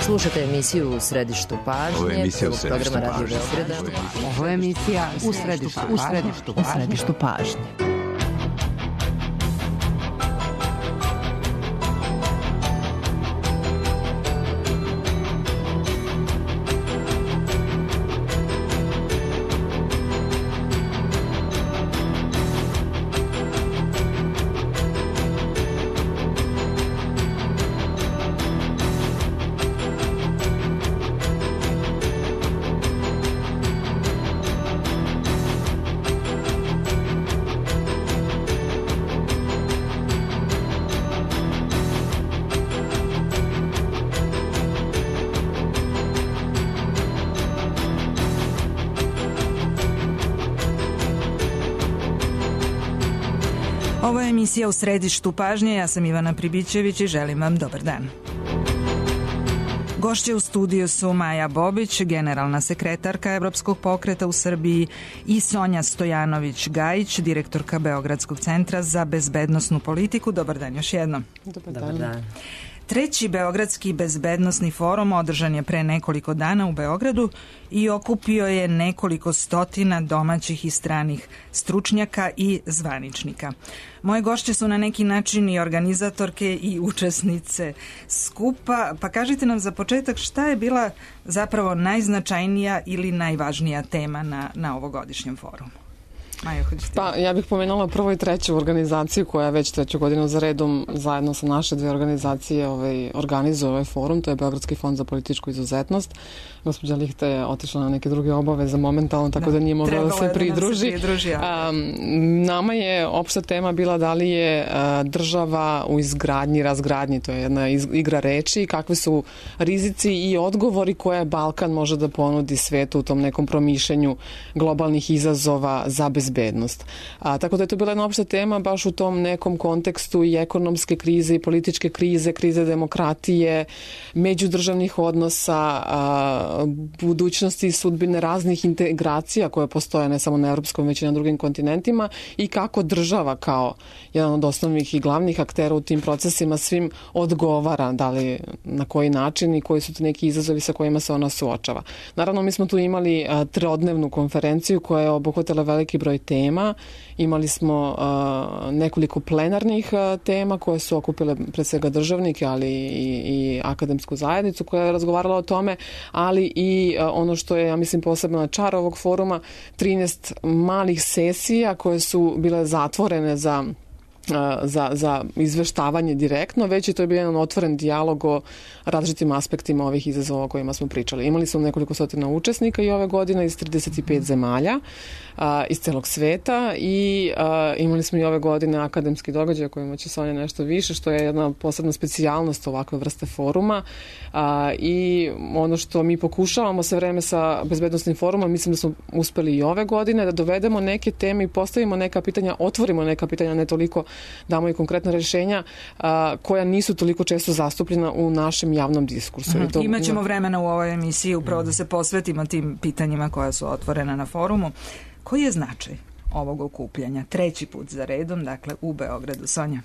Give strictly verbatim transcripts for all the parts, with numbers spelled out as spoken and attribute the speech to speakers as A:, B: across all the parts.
A: Slušate emisiju U središtu pažnje.
B: Ovo je emisija U središtu
A: programa
B: pažnje.
A: Radio Beograda.
C: Ovo je emisija U središtu, u središtu, u središtu pažnje. Ovo je emisija U središtu pažnje, ja sam Ivana Pribićević i želim vam dobar dan. Gošće u studiju su Maja Bobić, generalna sekretarka Evropskog pokreta u Srbiji, i Sonja Stojanović-Gajić, direktorka Beogradskog centra za bezbednosnu politiku. Dobar dan još jednom.
D: Dobar dan.
A: Dobar dan.
C: Treći Beogradski bezbednosni forum održan je pre nekoliko dana u Beogradu i okupio je nekoliko stotina domaćih i stranih stručnjaka i zvaničnika. Moje gošće su na neki način i organizatorke i učesnice skupa, pa kažite nam za početak šta je bila zapravo najznačajnija ili najvažnija tema na, na ovogodišnjem forumu. Majo, hoćete?
D: Pa, ja bih pomenula prvo i treću organizaciju koja već treću godinu za redom zajedno sa naše dve organizacije ovaj, organizuje ovaj forum, to je Beogradski fond za političku izuzetnost. Gospođa Lihta je otišla na neke druge obaveze momentalno, tako da, da nije mogla da se pridruži. Da se pridruži a, nama je opšta tema bila da li je a, država u izgradnji, razgradnji, to je jedna iz, igra reči, kakve su rizici i odgovori koje Balkan može da ponudi svetu u tom nekom promišljanju globalnih izazova za bezbednost. A, tako da je to bila jedna opšta tema baš u tom nekom kontekstu i ekonomske krize i političke krize, krize demokratije, međudržavnih odnosa, a, budućnosti i sudbine raznih integracija koje postoje ne samo na evropskom već i na drugim kontinentima i kako država kao jedan od osnovnih i glavnih aktera u tim procesima svim odgovara, da li na koji način i koji su to neki izazovi sa kojima se ona suočava. Naravno, mi smo tu imali a, trodnevnu konferenciju koja je obuhvatila veliki broj tema. Imali smo a, nekoliko plenarnih a, tema koje su okupile pre svega državnike, ali i, i akademsku zajednicu koja je razgovarala o tome, ali i a, ono što je, ja mislim, posebno čar ovog foruma, trinaest malih sesija koje su bile zatvorene za Za, za izveštavanje direktno, već je to je bio jedan otvoren dijalog o različitim aspektima ovih izazova o kojima smo pričali. Imali smo nekoliko stotina učesnika i ove godine iz trideset pet zemalja a, iz celog sveta i a, imali smo i ove godine akademski događaj o kojima će Sonja nešto više, što je jedna posebna specijalnost ovakve vrste foruma a, i ono što mi pokušavamo sve vreme sa bezbednostnim forumom, mislim da smo uspeli i ove godine da dovedemo neke teme i postavimo neka pitanja, otvorimo neka pitanja, ne toliko damo i konkretna rešenja a, koja nisu toliko često zastupljena u našem javnom diskursu.
C: Aha,
D: to,
C: imaćemo vremena u ovoj emisiji upravo da se posvetimo tim pitanjima koja su otvorena na forumu. Koji je značaj ovog okupljanja? Treći put za redom, dakle u Beogradu. Sonja?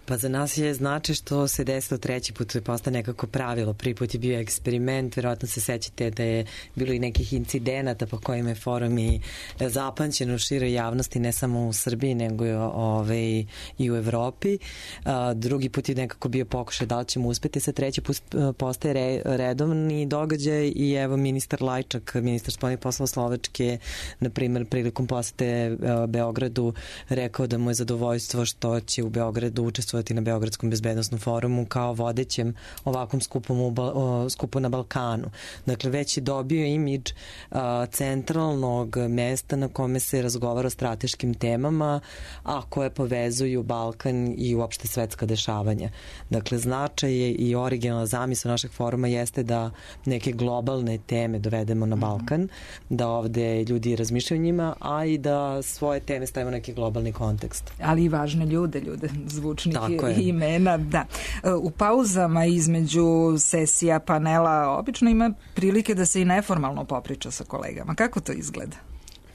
E: Pa za nas je znači što se desilo treći put, to je postao nekako pravilo. Prvi put je bio eksperiment, verovatno se sećate da je bilo i nekih incidenata po kojima je forum i zapamćen u široj javnosti, ne samo u Srbiji, nego ove, i u Evropi. A, drugi put je nekako bio pokušaj da li ćemo uspeti, sa treći put postaje re, redovni događaj i evo ministar Lajčak, ministar spoljnih poslova Slovačke, na primjer, prilikom posete Beogradu rekao da mu je zadovoljstvo što će u Beogradu učestvovati na Beogradskom bezbednosnom forumu kao vodećem ovakvom skupom u, skupu na Balkanu. Dakle, već je dobio imidž a, centralnog mesta na kome se razgovara o strateškim temama, a koje povezuju Balkan i uopšte svetska dešavanja. Dakle, značaj i originalna zamisao našeg foruma jeste da neke globalne teme dovedemo na Balkan, da ovde ljudi razmišljaju o njima, a i da svoje teme stavimo neki globalni kontekst.
C: Ali i važne ljude, ljude zvučnih i imena, da. U pauzama između sesija, panela, obično ima prilike da se i neformalno popriča sa kolegama. Kako to izgleda?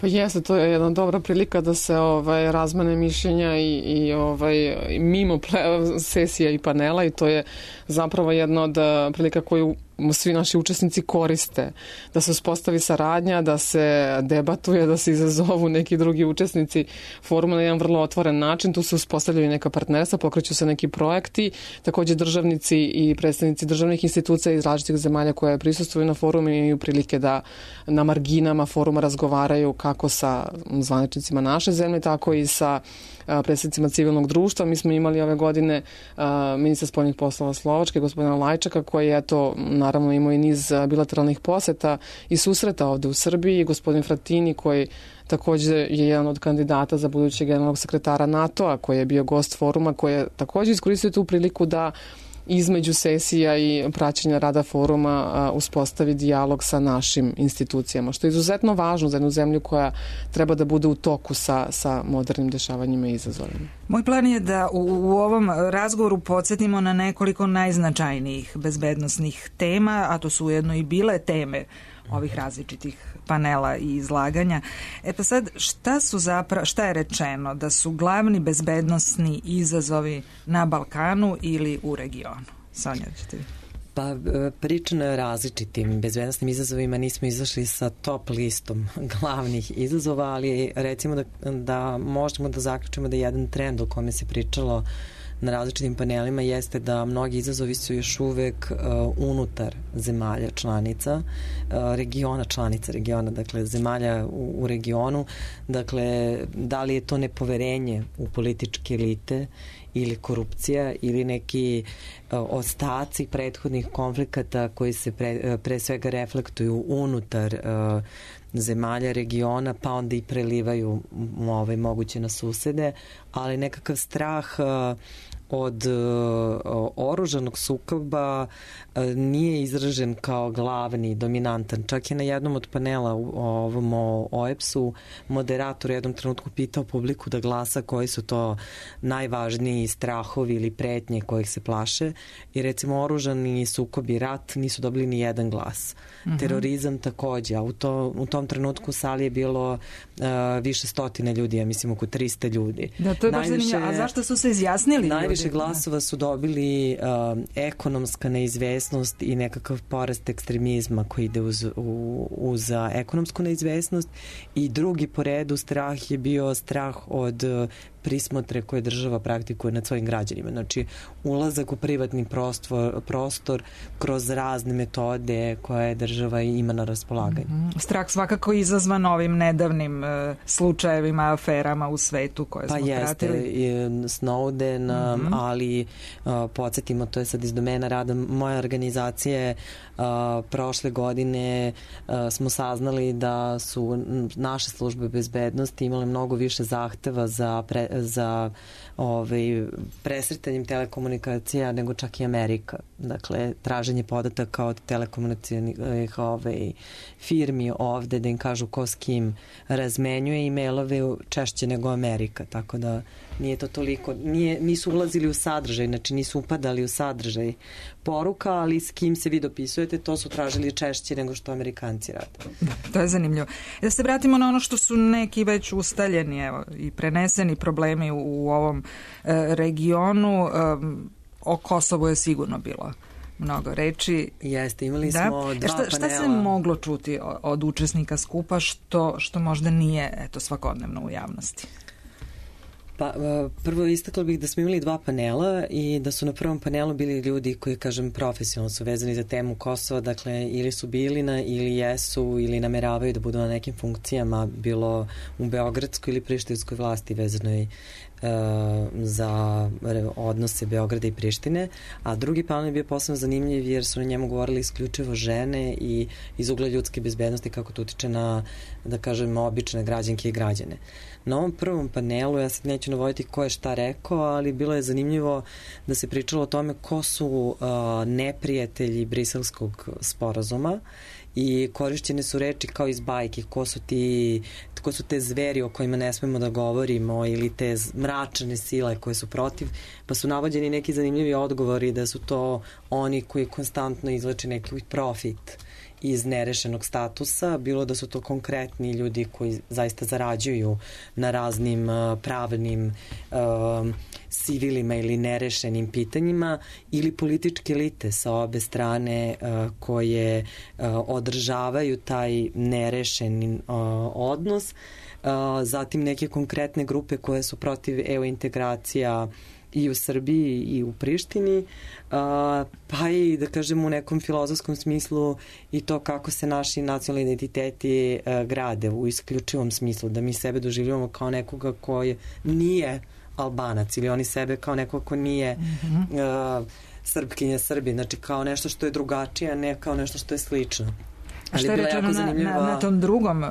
D: Pa jeste, to je jedna dobra prilika da se ovaj, razmene mišljenja i, i ovaj, mimo ple, sesija i panela i to je zapravo jedna od prilika koju svi naši učesnici koriste, da se uspostavi saradnja, da se debatuje, da se izazovu neki drugi učesnici foruma na jedan vrlo otvoren način. Tu se uspostavljaju neka partnerstva, pokreću se neki projekti, takođe državnici i predstavnici državnih institucija iz različitih zemalja koje prisustvuju na forumu imaju prilike da na marginama foruma razgovaraju kako sa zvaničnicima naše zemlje, tako i sa predstavnicima civilnog društva. Mi smo imali ove godine ministra spoljnih poslova Slovačke, gospodina Lajčaka, koji je to naravno imao i niz bilateralnih poseta i susreta ovde u Srbiji, gospodin Fratini koji takođe je jedan od kandidata za budućeg generalnog sekretara NATO-a, koji je bio gost foruma, koji je takođe iskoristio tu priliku da između sesija i praćenja rada foruma uspostavi dijalog sa našim institucijama, što je izuzetno važno za jednu zemlju koja treba da bude u toku sa, sa modernim dešavanjima i izazovima.
C: Moj plan je da u, u ovom razgovoru podsjetimo na nekoliko najznačajnijih bezbednosnih tema, a to su ujedno i bile teme ovih različitih panela i izlaganja. E pa sad, šta su zapravo, šta je rečeno da su glavni bezbednosni izazovi na Balkanu ili u regionu? Sonja, ćete vi?
E: Pa pričano je o različitim bezbednosnim izazovima, nismo izašli sa top listom glavnih izazova, ali recimo da, da možemo da zaključimo da jedan trend o kome se pričalo na različitim panelima jeste da mnogi izazovi su još uvek uh, unutar zemalja članica, uh, regiona članica regiona, dakle zemalja u, u regionu, dakle da li je to nepoverenje u političke elite ili korupcija ili neki uh, ostaci prethodnih konflikata koji se pre, uh, pre svega reflektuju unutar uh, zemalja regiona, pa onda i prelivaju ovaj, moguće na susede, ali nekakav strah uh, od uh, oružanog sukoba uh, nije izražen kao glavni, dominantan. Čak je na jednom od panela u ovom O E P S-u moderator u jednom trenutku pitao publiku da glasa koji su to najvažniji strahovi ili pretnje kojih se plaše i recimo oružani sukob i rat nisu dobili ni jedan glas. Mm-hmm. Terorizam takođe, a u, to, u tom trenutku u sali je bilo uh, više stotine ljudi, ja mislim oko trista ljudi.
C: Da, to je baš zanimljivo. A zašto su se izjasnili ljudi?
E: Najviše glasova su dobili uh, ekonomska neizvesnost i nekakav porast ekstremizma koji ide uz, u, uz uh, ekonomsku neizvesnost i drugi po redu strah je bio strah od uh, prismotre koje država praktikuje nad svojim građanima. Znači, ulazak u privatni prostor, prostor kroz razne metode koje država ima na raspolaganju.
C: Mm-hmm. Strah svakako izazvan ovim nedavnim uh, slučajevima, aferama u svetu koje
E: pa
C: smo pratili.
E: Pa jeste, Snowden, mm-hmm. ali uh, podsjetimo, to je sad iz domena rada moje organizacije, uh, prošle godine uh, smo saznali da su naše službe bezbednosti imale mnogo više zahteva za pre, za ovaj, presretanjem telekomunikacija nego čak i Amerika. Dakle, traženje podataka od telekomunikacijnih ovaj, firmi ovde da im kažu ko s kim razmenjuje e-mailove češće nego Amerika. Tako da nije to toliko, nije, nisu ulazili u sadržaj, znači nisu upadali u sadržaj poruka, ali s kim se vi dopisujete, to su tražili češće nego što Amerikanci rade.
C: Da, to je zanimljivo. Da se vratimo na ono što su neki već ustaljeni evo, i preneseni problemi u, u ovom e, regionu. E, o Kosovu je sigurno bilo mnogo reči.
E: Jeste, imali
C: da.
E: smo dva
C: šta,
E: panela.
C: Šta se moglo čuti od učesnika skupa što, što možda nije eto, svakodnevno u javnosti?
E: Pa, prvo istakla bih da smo imali dva panela i da su na prvom panelu bili ljudi koji, kažem, profesionalno su vezani za temu Kosova, dakle, ili su bili na, ili jesu, ili nameravaju da budu na nekim funkcijama, bilo u beogradskoj ili prištinskoj vlasti vezanoj za odnose Beograda i Prištine, a drugi panel je bio posebno zanimljiv jer su na njemu govorili isključivo žene i iz ugla ljudske bezbednosti kako to utiče na, da kažem, obične građanke i građane. Na ovom prvom panelu, ja sad neću navoditi ko je šta rekao, ali bilo je zanimljivo da se pričalo o tome ko su uh, neprijatelji Briselskog sporazuma i korišćene su reči kao iz bajke, ko su ti, ko su te zveri o kojima ne smemo da govorimo ili te mračne sile koje su protiv, pa su navođeni neki zanimljivi odgovori da su to oni koji konstantno izvlače neki profit iz nerešenog statusa, bilo da su to konkretni ljudi koji zaista zarađuju na raznim uh, pravnim uh, civilima ili nerešenim pitanjima, ili političke elite sa obe strane uh, koje uh, održavaju taj nerešen uh, odnos. Uh, zatim neke konkretne grupe koje su protiv E U integracija i u Srbiji i u Prištini, uh, pa i da kažem u nekom filozofskom smislu i to kako se naši nacionalni identiteti uh, grade u isključivom smislu, da mi sebe doživljavamo kao nekoga koji nije Albanac ili oni sebe kao nekoga ko nije mm-hmm. uh, Srpkinja, Srbin, znači kao nešto što je drugačije, a ne kao nešto što je slično.
C: A što je rečeno na, na, na tom drugom uh,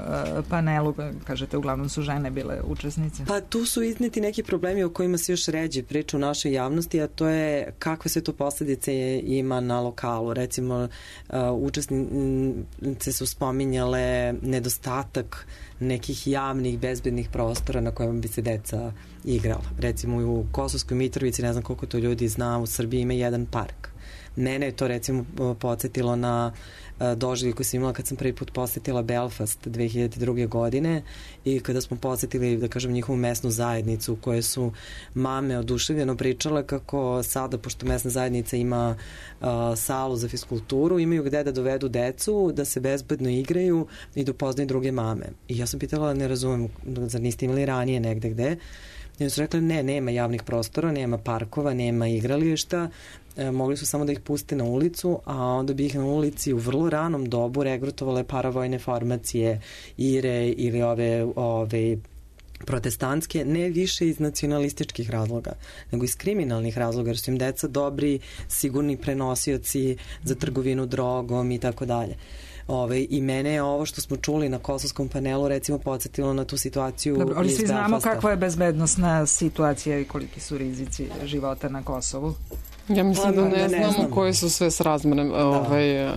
C: panelu, kažete, uglavnom su žene bile učesnice?
E: Pa tu su izneti neki problemi o kojima se još ređe priča u našoj javnosti, a to je kakve sve to posljedice ima na lokalu. Recimo, uh, učesnice su spominjale nedostatak nekih javnih, bezbednih prostora na kojima bi se deca igrala. Recimo u Kosovskoj Mitrovici, ne znam koliko to ljudi zna, u Srbiji ima jedan park. Mene je to recimo podsjetilo na doživljaj koji sam imala kad sam prvi put posjetila Belfast dve hiljade druge. godine i kada smo posjetili, da kažem, njihovu mesnu zajednicu u kojoj su mame oduševljeno pričale kako sada, pošto mesna zajednica ima uh, salu za fiskulturu, imaju gde da dovedu decu, da se bezbedno igraju i da upoznaju druge mame. I ja sam pitala, ne razumem, zar niste imali ranije negde gde? I su rekli, ne, nema javnih prostora, nema parkova, nema igrališta, e, mogli su samo da ih puste na ulicu, a onda bi ih na ulici u vrlo ranom dobu regrutovale paravojne formacije, I R E ili ove, ove protestantske, ne više iz nacionalističkih razloga, nego iz kriminalnih razloga, jer su im deca dobri, sigurni prenosioci za trgovinu drogom i tako dalje. Ove, I mene je ovo što smo čuli na kosovskom panelu recimo podsjetilo na tu situaciju.
C: Dobro, ali
E: iz
C: svi znamo
E: Belfasta.
C: Kakva je bezbednosna situacija i koliki su rizici života na Kosovu.
D: Ja mislim da ne,
E: ne
D: znamo
E: znam.
D: koje su sve srazmere ovaj,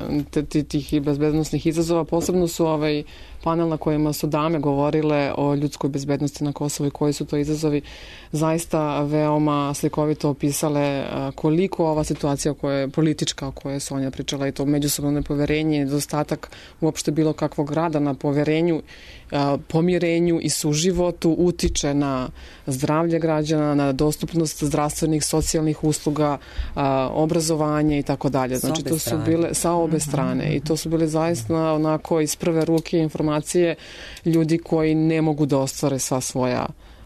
D: tih bezbednostnih izazova. Posebno su ovaj panel na kojima su dame govorile o ljudskoj bezbednosti na Kosovu i koji su to izazovi, zaista veoma slikovito opisale koliko ova situacija koja je politička, o kojoj je Sonja pričala, i to međusobno nepoverenje, nedostatak uopšte bilo kakvog rada na poverenju, pomirenju i suživotu utiče na zdravlje građana, na dostupnost zdravstvenih, socijalnih usluga, obrazovanje i tako dalje. Znači to su bile sa obe strane i to su bile zaista onako iz prve ruke informacije ljudi koji ne mogu da ostvare sva svoja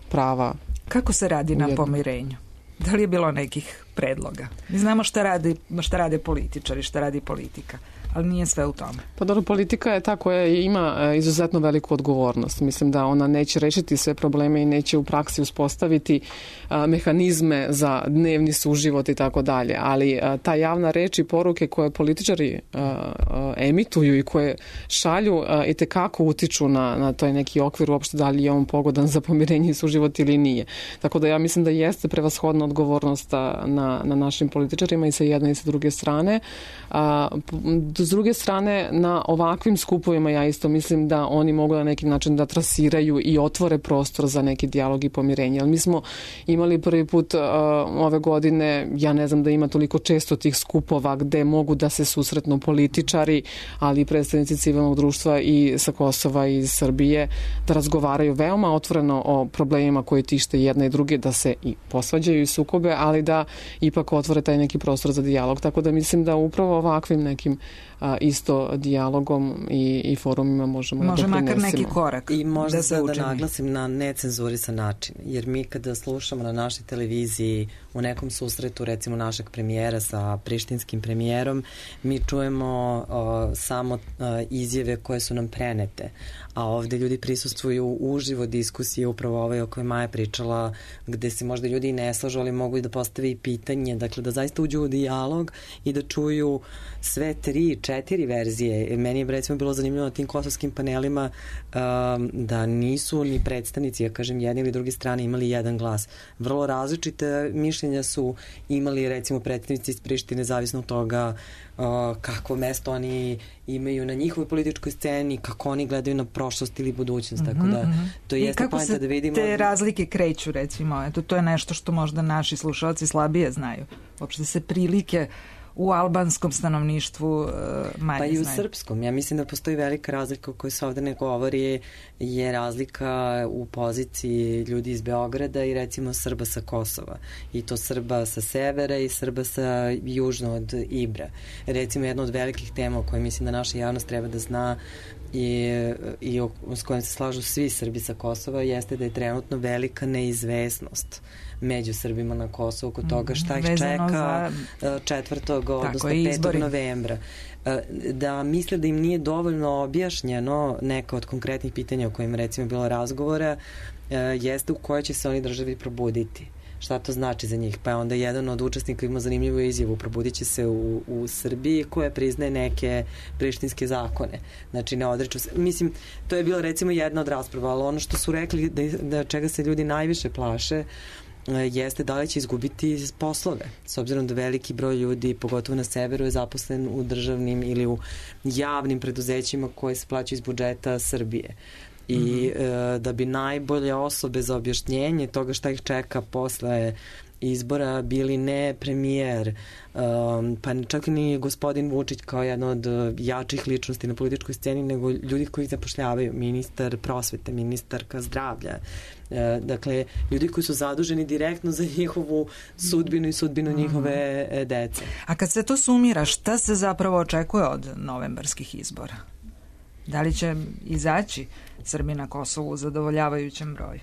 D: prava.
C: Kako se radi na pomirenju? Da li je bilo nekih predloga? Mi znamo šta radi, šta rade političari, šta radi politika, ali nije sve u tome.
D: Pa dobro, politika je ta koja ima izuzetno veliku odgovornost. Mislim da ona neće rešiti sve probleme i neće u praksi uspostaviti a, mehanizme za dnevni suživot i tako dalje, ali a, ta javna reč i poruke koje političari a, a, emituju i koje šalju a, i tekako utiču na, na toj neki okvir uopšte da li je on pogodan za pomirenje i suživot ili nije. Tako da ja mislim da jeste prevashodna odgovornost na, na našim političarima i sa jedne i sa druge strane. A, s druge strane, na ovakvim skupovima ja isto mislim da oni mogu na neki način da trasiraju i otvore prostor za neki dijalog i pomirenje. Ali mi smo imali prvi put uh, ove godine, ja ne znam da ima toliko često tih skupova gde mogu da se susretnu političari, ali i predstavnici civilnog društva i sa Kosova i iz Srbije, da razgovaraju veoma otvoreno o problemima koji tište jedne i druge, da se i posvađaju i sukobe, ali da ipak otvore taj neki prostor za dijalog. Tako da mislim da upravo ovakvim nekim a, isto dijalogom i, i forumima možemo
C: Može
D: da doprinesimo.
C: Može makar neki korak.
E: I možda
C: da se
E: da naglasim na necenzurisan način, jer mi kada slušamo na našoj televiziji u nekom susretu recimo našeg premijera sa prištinskim premijerom, mi čujemo o, samo o, izjave koje su nam prenete, a ovde ljudi prisustvuju uživo diskusije, upravo ovaj o kojoj Maja pričala, gde se možda ljudi i ne slažu, ali mogu i da postave i pitanje, dakle da zaista uđu u dijalog i da čuju sve tri, četiri verzije. Meni je recimo bilo zanimljivo na tim kosovskim panelima um, da nisu ni predstavnici, ja kažem, jedne ili druge strane imali jedan glas. Vrlo različite mišljenja su imali recimo predstavnici iz Prištine, zavisno od toga uh, kakvo mesto oni imaju na njihovoj političkoj sceni, kako oni gledaju na prošlost ili budućnost, mm-hmm, tako da to jeste poenta da vidimo.
C: I kako se te razlike kreću, recimo, eto, to je nešto što možda naši slušalci slabije znaju. Uopšte se prilike u albanskom stanovništvu manje
E: Pa i u
C: znaju.
E: srpskom. Ja mislim da postoji velika razlika o kojoj se ovde ne govori, je razlika u poziciji ljudi iz Beograda i recimo Srba sa Kosova. I to Srba sa severa i Srba sa južno od Ibra. Recimo jedna od velikih tema o kojoj mislim da naša javnost treba da zna i, i o, s kojim se slažu svi Srbi sa Kosova jeste da je trenutno velika neizvesnost među Srbima na Kosovu kod toga šta ih čeka četvrtog odnosno petog novembra. Da misle da im nije dovoljno objašnjeno neka od konkretnih pitanja o kojima recimo bilo razgovora jeste u kojoj će se oni državi probuditi. Šta to znači za njih? Pa je onda jedan od učesnika imao zanimljivu izjavu, probudit će se u, u Srbiji koja priznaje neke prištinske zakone. Znači ne odriču se. Mislim, to je bila recimo jedna od rasprava, ali ono što su rekli da, da čega se ljudi najviše plaše jeste da li će izgubiti poslove. S obzirom da veliki broj ljudi, pogotovo na severu, je zaposlen u državnim ili u javnim preduzećima koje se plaćaju iz budžeta Srbije. I mm-hmm. e, da bi najbolje osobe za objašnjenje toga šta ih čeka posle izbora bili ne premijer, um, pa čak ni gospodin Vučić kao jedna od jačih ličnosti na političkoj sceni, nego ljudi koji zapošljavaju, ministar prosvete, ministarka zdravlja. E, dakle, ljudi koji su zaduženi direktno za njihovu sudbinu i sudbinu mm-hmm. njihove e, dece.
C: A kad se to sumira, šta se zapravo očekuje od novembarskih izbora? Da li će izaći Srbi na Kosovu u zadovoljavajućem broju?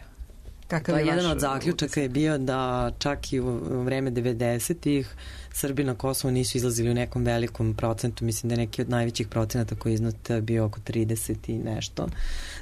C: Kakav
E: pa
C: je
E: jedan od zaključaka je bio da čak i u vreme devedesetih Srbi na Kosovu nisu izlazili u nekom velikom procentu, mislim da je neki od najvećih procenata koji je iznad bio oko trideset i nešto,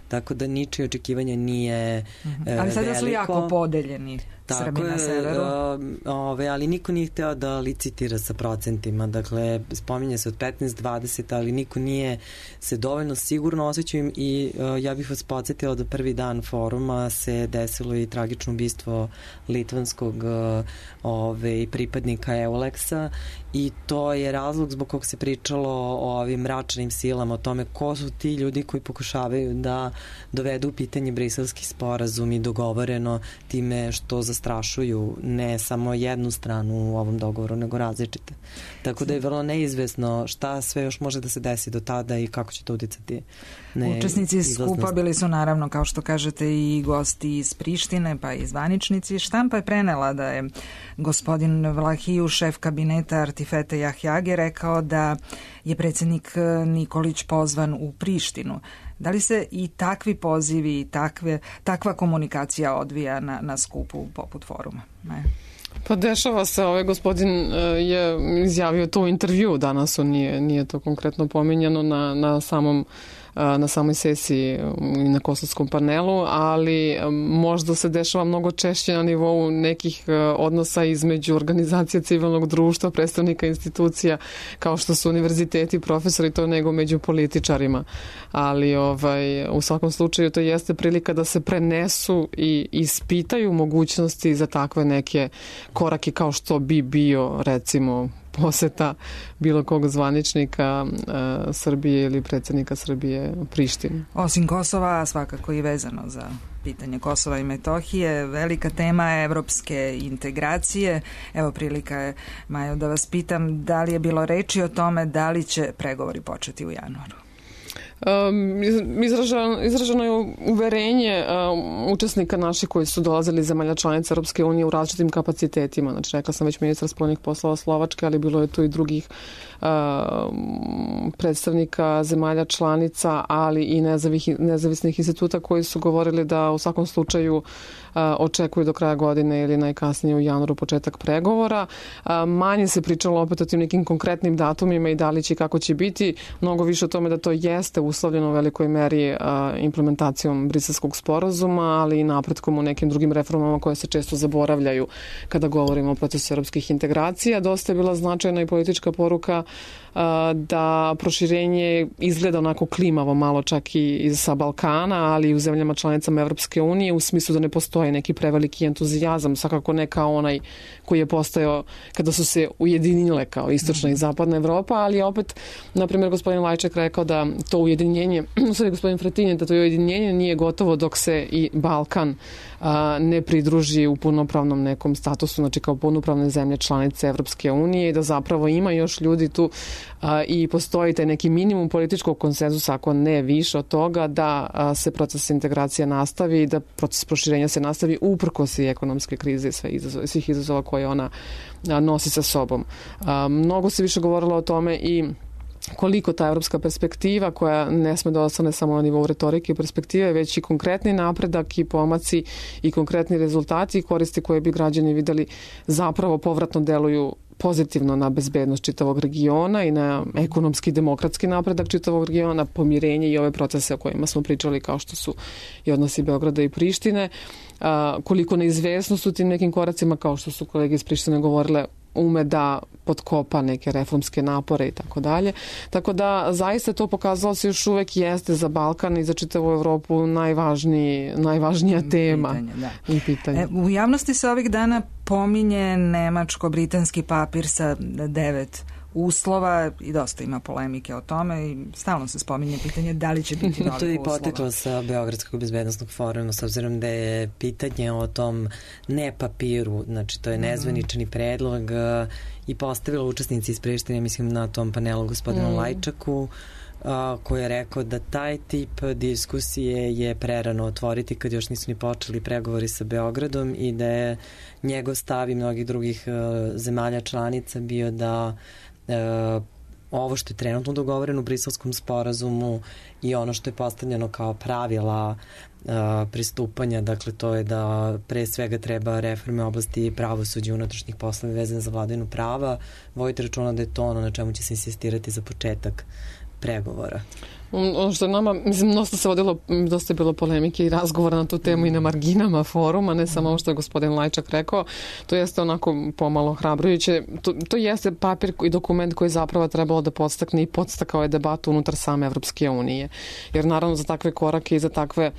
E: tako da ničije očekivanje nije mm-hmm. e,
C: ali sada
E: veliko.
C: Su jako podeljeni
E: tako
C: Srbi na severu.
E: Je, ove, ali niko nije hteo da licitira sa procentima, dakle spominje se od petnaest dvadeset, ali niko nije se dovoljno sigurno osjećao i uh, ja bih vas podsjetila da prvi dan foruma se desilo i tragično ubistvo litvanskog uh, ove, pripadnika Euleksa i to je razlog zbog kog se pričalo o ovim mračnim silama, o tome ko su ti ljudi koji pokušavaju da dovedu u pitanje briselski sporazum i dogovoreno time što zastrašuju ne samo jednu stranu u ovom dogovoru, nego različite. Tako da je vrlo neizvesno šta sve još može da se desi do tada i kako će to uticati.
C: Učesnici skupa bili su naravno, kao što kažete, i gosti iz Prištine, pa i zvaničnici. Štampa je prenela da je gospodin Vlahiju, šef kabineta Artifete Jahjage, rekao da je predsjednik Nikolić pozvan u Prištinu. Da li se i takvi pozivi i takve, takva komunikacija odvija na, na skupu poput foruma? Ne.
D: Pa dešava se, ovaj gospodin je izjavio to u intervju danas, on nije, nije to konkretno pominjano na, na samom na samoj sesiji i na kosovskom panelu, ali možda se dešava mnogo češće na nivou nekih odnosa između organizacija civilnog društva, predstavnika institucija kao što su univerziteti, profesori, to nego među političarima. Ali ovaj, u svakom slučaju to jeste prilika da se prenesu i ispitaju mogućnosti za takve neke korake kao što bi bio recimo poseta bilo kog zvaničnika uh, Srbije ili predsjednika Srbije Prištini.
C: Osim Kosova, svakako i vezano za pitanje Kosova i Metohije, velika tema je evropske integracije. Evo prilika je, Majo, da vas pitam da li je bilo reči o tome da li će pregovori početi u januaru?
D: Um, izraženo, izraženo je uverenje um, učesnika naših koji su dolazili iz zemalja članica Europske unije u različitim kapacitetima. Znači, rekla sam već ministar spoljnih poslova Slovačke, ali bilo je tu i drugih uh, predstavnika zemalja članica, ali i nezavih, nezavisnih instituta koji su govorili da u svakom slučaju uh, očekuju do kraja godine ili najkasnije u januaru početak pregovora. Uh, manje se pričalo opet o tim nekim konkretnim datumima i da li će i kako će biti. Mnogo više o tome da to jeste uslovljeno u velikoj meri a, implementacijom briselskog sporazuma, ali i napretkom u nekim drugim reformama koje se često zaboravljaju kada govorimo o procesu europskih integracija. Dosta je bila značajna i politička poruka a, da proširenje izgleda onako klimavo malo čak i sa Balkana, ali i u zemljama članicama Evropske unije u smislu da ne postoji postoji neki preveliki entuzijazam, svakako ne kao onaj koji je postojao kada su se ujedinile kao istočna i zapadna Evropa, ali opet, na primjer, gospodin Lajčak rekao da to ujedinjenje, u stvari gospodin Fratinje, da to ujedinjenje nije gotovo dok se i Balkan a, ne pridruži u punopravnom nekom statusu, znači kao punopravne zemlje članice Evropske unije i da zapravo ima još ljudi tu a, i postoji taj neki minimum političkog konsenzusa, ako ne više od toga, da a, se proces integracija nastavi i da proces proširenja se nastavi uprkos i ekonomske krize i sve izazove, svih izazova koje ona a, nosi sa sobom. A, mnogo se više govorilo o tome i koliko ta evropska perspektiva, koja ne sme da ostane samo na nivou retorike i perspektive, već i konkretni napredak i pomaci i konkretni rezultati i koristi koje bi građani videli, zapravo povratno deluju pozitivno na bezbednost čitavog regiona i na ekonomski demokratski napredak čitavog regiona, pomirenje i ove procese o kojima smo pričali, kao što su i odnosi Beograda i Prištine, a, koliko neizvesnost u tim nekim koracima, kao što su kolege iz Prištine govorile, ume da potkopa neke reformske napore i tako dalje. Tako da zaista to pokazalo se još uvek jeste za Balkan i za čitavu Evropu najvažniji, najvažnija tema
C: pitanje, da.
D: i pitanje.
C: E, u javnosti se ovih dana pominje nemačko-britanski papir sa devet uslova i dosta ima polemike o tome i stalno se spominje pitanje da li će biti novih uslova.
E: To je i poteklo sa Beogradskog bezbednosnog foruma, s obzirom da je pitanje o tom ne papiru, znači to je nezvanični predlog i postavila učesnici iz Prištine, mislim na tom panelu gospodinu mm. Lajčaku, a, koji je rekao da taj tip diskusije je prerano otvoriti kad još nisu ni počeli pregovori sa Beogradom i da je njegov stav i mnogih drugih a, zemalja članica bio da a, ovo što je trenutno dogovoreno u Briselskom sporazumu i ono što je postavljeno kao pravila a, pristupanja, dakle to je da pre svega treba reforme oblasti pravosuđa i unutrašnjih poslova vezane za vladavinu prava, vodite računa da je to ono na čemu će se insistirati za početak pregovora.
D: Ono što je nama, mislim, dosta se vodilo, dosta je bilo polemike i razgovora na tu temu i na marginama foruma, ne samo ovo što je gospodin Lajčak rekao, to jeste onako pomalo hrabrujuće. To, to jeste papir i dokument koji zapravo trebalo da podstakne i podstakao je debatu unutar same Evropske unije. Jer naravno za takve korake i za takve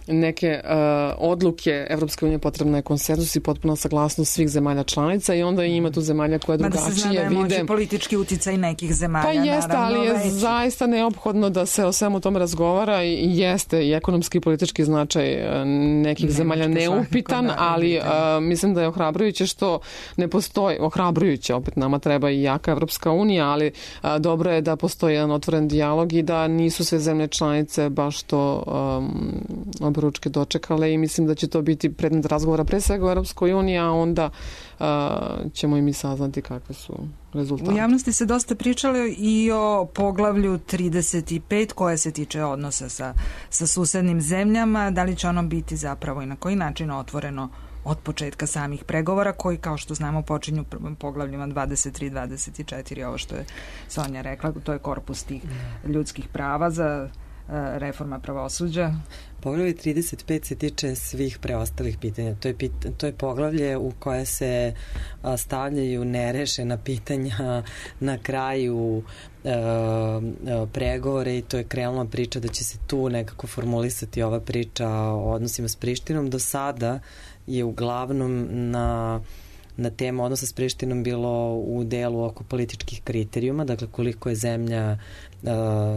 D: neke uh, odluke Evropske unije potrebna je konsenzus i potpuna saglasnost svih zemalja članica i onda ima tu zemalja koje drugačije vide.
C: Mada se zna da je moći politički uticaj nekih zemalja.
D: Pa jeste,
C: naravno,
D: ali je
C: veći.
D: Zaista neophodno da se o svemu tome razgovara i jeste i ekonomski i politički značaj nekih ne, zemalja neupitan, da, ali uh, mislim da je ohrabrujuće što ne postoji, ohrabrujuće, opet nama treba i jaka Evropska unija, ali uh, dobro je da postoji jedan otvoren dijalog i da nisu sve zemlje članice baš to um, obručke dočekale i mislim da će to biti predmet razgovora pre svega u Evropskoj uniji, a onda uh, ćemo i mi saznati kakve su rezultati.
C: U javnosti se dosta pričalo i o poglavlju trideset pet koje se tiče odnosa sa, sa susednim zemljama, da li će ono biti zapravo i na koji način otvoreno od početka samih pregovora koji, kao što znamo, počinju poglavljima dvadeset tri dvadeset četiri, ovo što je Sonja rekla, to je korpus tih ljudskih prava za reforma pravosuđa.
E: Poglavlje trideset pet se tiče svih preostalih pitanja. To je, pit, to je poglavlje u koje se a, stavljaju nerešena pitanja na kraju a, a, pregovore i to je krenula priča da će se tu nekako formulisati ova priča o odnosima s Prištinom. Do sada je uglavnom na na temu odnosa s Prištinom bilo u delu oko političkih kriterijuma, dakle koliko je zemlja uh,